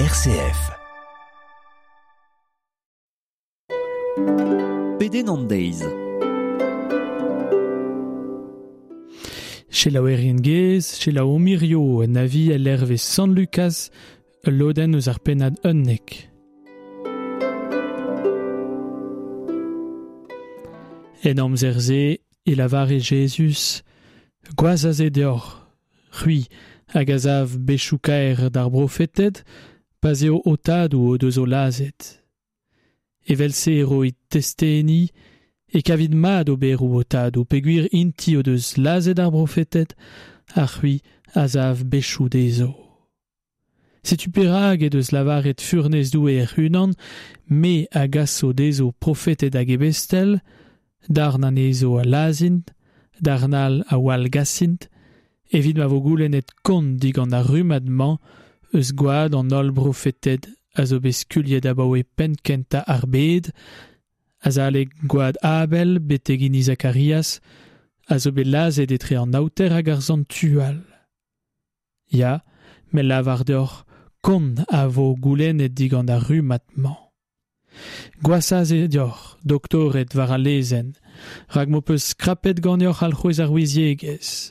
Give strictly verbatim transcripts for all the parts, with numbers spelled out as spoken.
R C F. Pedenn an deiz. Selaouerien gez, selaou mirio en avi el hervez Sant Lucas, ul lodenn eus ar pennad unnek. En amzer-se e lavare Jezuz, gwaz aze deoc'h, c'hwi hag a zav bechou kaer d'ar brofeted, pa'z eo ho tadoù o deus o lazhet. Evel-se e roit testeni e kavit mat oberoù ho tadoù peogwir int-i o deus lazhet ar brofeted, ha c'hwi a zav bechou dezho. Setu perak e deus lavaret furnez Doue hec'h-unan, me a gaso dezho profeted hag ebestel, darn anezho a lazhint, darn all a wallgasint, evit ma vo goulennet kont digant ar rummad-mañ eus gwad an holl brofeted a zo bet skuilhet abaoe penn kentañ ar bed, azalek gwad Abel betek hini Zakarias, a zo bet lazhet etre an aoter hag ar santual. Ya, me lavar deoc'h, kont a vo goulennet digant ar rummad-mañ. Gwashañ eo deoc'h, doktored war al lezenn, rak m'ho peus skrapet ganeoc'h alc'hwez ar ouiziegezh.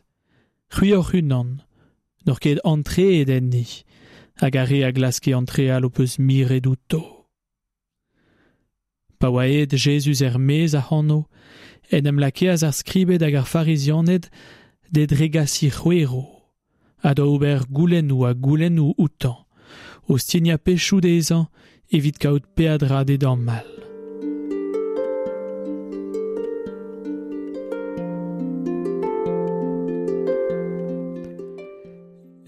C'hwi hoc'h-unan, n'oc'h ket antreet enni, hag ar re a glaske antreal ho peus miret outo. Pa oa aet Jezuz er-maez ac'hano, en em lakeas ar skribed hag ar farizianed d'e dregasiñ c'hwero, ha da ober goulennoù ha goulennoù outañ, o stignañ pechoù dezhañ evit kaout peadra d'e damall.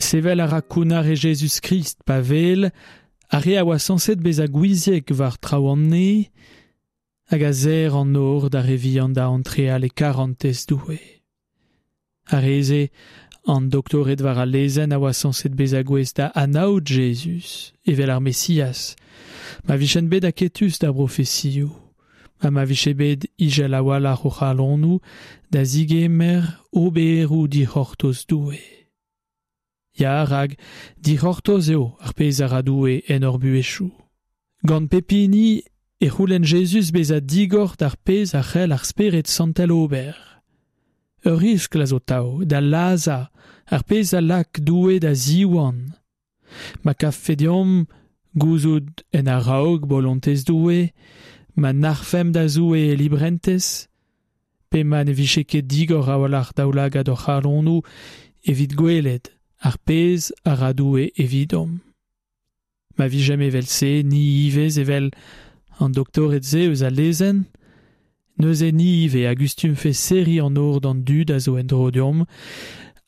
Sevel a ra kounnar e Jezuz Krist pa wel, ar re a oa sañset bezañ gouiziek war traoù an neñv, hag a serr an nor d'ar re vihan da antreal e karantez Doue. Ar re-se, an doktored war al lezenn a oa sañset bezañ gouest da anaout Jezuz, evel ar Mesias, ma vijent bet aketus d'ar brofesioù, ha ma vije bet ijel a-walc'h o c'halonoù da zigemer oberoù dic'hortoz Doue. Ya, rak dic'hortoz eo ar pezh a ra Doue en hor buhezioù. Gant pep hini e c'houlenn Jezuz bezañ digor d'ar pezh a c'hell ar Spered Santel ober. Ur riskl a zo tav da lazhañ ar pezh a lak Doue da ziwan. Ma kavfe deomp gouzout en a-raok bolontez Doue, ma nac'hfemp da Zoue e librentez, pe ma ne vije ket digor a-walc'h daoulagad hor c'halonoù evit gwelet ar pezh a ra Doue evidomp. Ma vijemp evel-se, ni ivez evel an doktored-se eus al lezenn, neuze ni ivez a gustumfe serriñ an nor d'an dud a zo en-dro deomp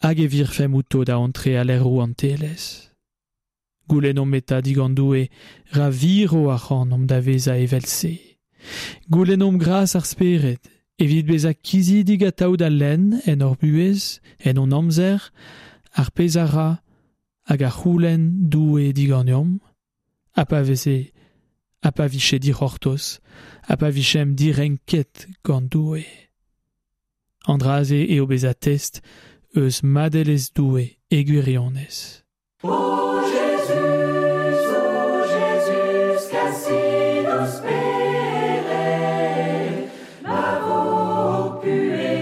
hag e virfemp outo da antreal er rouantelezh. Goulennomp eta digant Doue ra viro ac'hanomp da vezañ evel-se. Goulennomp gras ar Spered evit bezañ kizidik atav da lenn en hor buhez, en hon amzer, ar pezh a ra hag a c'houlenn Doue diganeomp, ha pa veze, ha pa vije dic'hortoz, ha pa vijemp direnket gant Doue. An dra-se eo bezañ test eus madelezh Doue e gwirionez. O Jezuz, o Jezuz, kasit ho Spered, ma vo buhez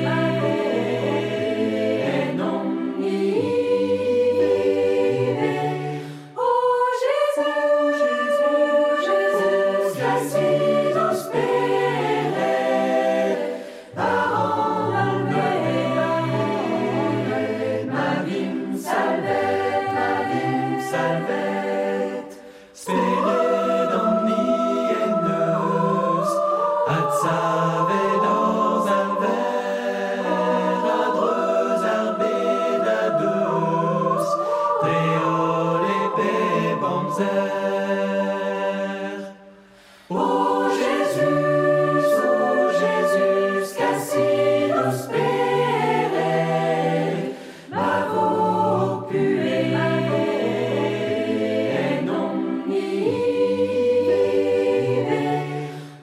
ennomp-ni ivez. O Jezuz, Jezuz, kasit ho Spered, war an holl bed, ma vimp salvet, ma vimp salvet. Spered an en eus, adsavet hor Salver, a-dreuz ar bed a-deus, dre holl e bep amzer. O Jezuz, o Jezuz, kasit ho Spered, ma vo buhez ennomp-ni ivez.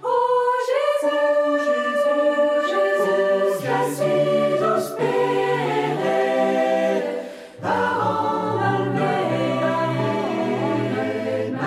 O Jezuz, Jezuz, kasit ho Spered, war an holl bed, ma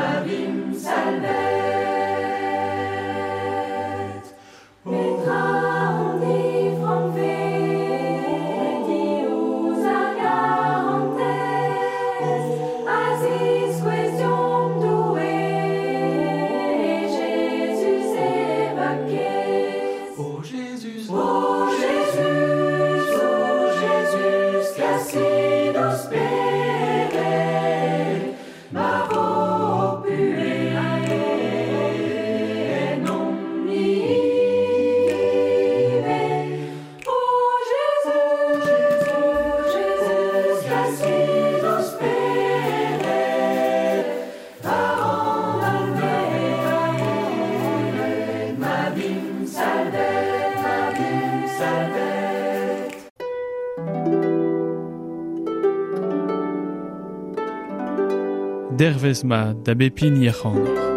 Dervez mat da bep hini ac'hanoc'h.